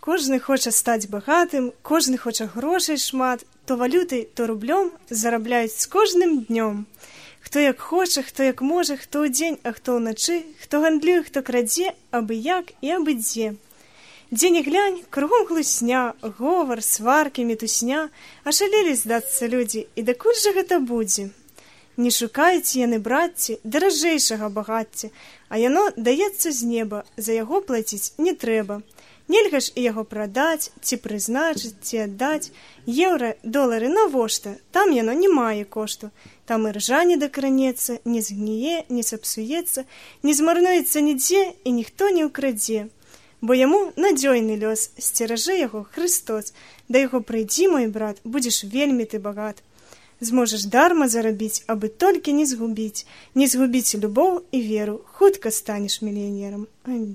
Кожны хоча стаць багатым, кожны хоча грошай шмат, то валютай, то рублём зарабляюць з кожным днём. Хто як хоча, хто як можа, хто ўдзень, а хто ўначы, хто гандлюе, хто крадзе, абы як і абы дзе. Дзе не глянь, кругом хлусня, говор, сваркі, мітусня, ашалелі здацца людзі, і дакуль жа гэта будзе? Не шукаюць яны, братці, даражэйшага багацця, а яно даецца з неба, за яго плаціць не трэба. Нельга ж і яго прадаць, ці прызначыць, ці аддаць. Еўра, долары навошта? Там яно не мае кошту. Там і ржа не дакранецца, не згніе, не сапсуецца, не змарнуецца нідзе і ніхто не ўкрадзе. Бо яму надзёйны лёс, сцеражэ яго Христос. Да яго прыйдзі, мой брат, будзеш вельмі ты багат. Зможаш дарма зарабіць, абы толькі не згубіць любоў і веру, хутка станеш мільянерам. Амінь.